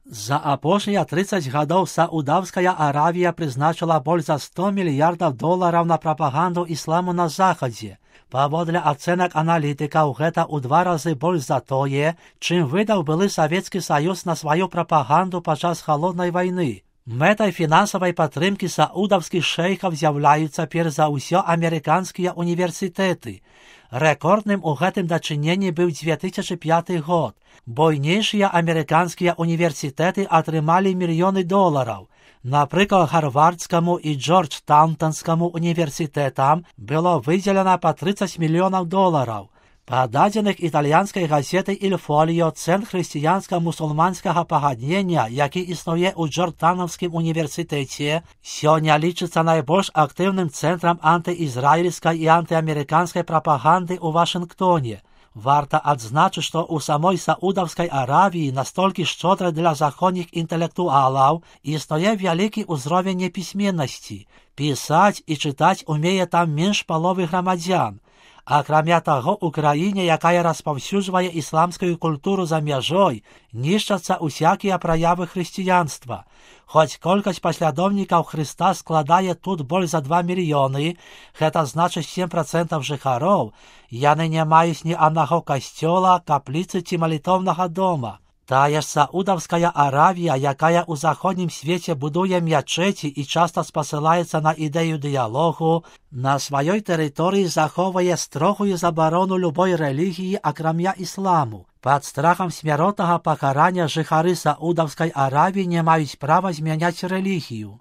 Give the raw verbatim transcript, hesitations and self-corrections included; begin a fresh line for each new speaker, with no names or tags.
За апошнія тридцать гадоў Саудаўская Аравія прызначыла больш за сто мільярдаў долараў на прапаганду ісламу на захадзе. Паводле ацэнак аналітыкаў, гэта ў два разы больш за тое, чым выдаў былы Савецкі Саюз на сваю прапаганду падчас халоднай вайны. Мэтай фінансавай падтрымкі саудаўскіх шэйхаў з'яўляюцца перш за ўсё амерыканскія універсітэты. Рэкордным у гэтым дачыненні быў дзве тысячы пяты год. Буйнейшыя амерыканскія універсітэты атрымалі мільёны долараў. Напрыклад, Гарвардскаму і Джорджтаунскаму універсітэтам было выдзелена па тридцать мільёнаў долараў. Па дадзеных італьянскай газеты «Иль Фоліо», цэнтр хрысціянска-мусульманскага пагаднення, які існуе ў Джорджтаунскім універсітэце, сёння лічыцца найбольш актыўным цэнтрам антыізраільскай і антыамерыканскай прапаганды ў Вашынгтоне. Варта адзначыць, што ў самой Саудаўскай Аравіі настолькі шчодрай для заходніх інтэлектуалаў існуе вялікі ўзровень непісьменнасці. Пісаць і чытаць умее там менш паловы грамадзян. Акрамя таго, у краіне, якая распаўсюджвае ісламскую культуру за мяжой, нішчацца усякія праявы хрысціянства. Хоць колькасць паслядоўнікаў Хрыста складае тут больш за два мільёны, гэта значыць сем працэнтаў жыхароў, яны не маюць ні аднаго касцёла, капліцы ці малітоўнага дома. Тая ж Саудаўская Аравія, якая ў заходнім свеце будуе мячэці і часта спасылаецца на ідэю дыялогу, на сваёй тэрыторыі захоўвае строгую забарону любой рэлігіі, акрамя ісламу. Пад страхам смяротнага пакарання жыхары Саудаўскай Аравіі не маюць права змяняць рэлігію.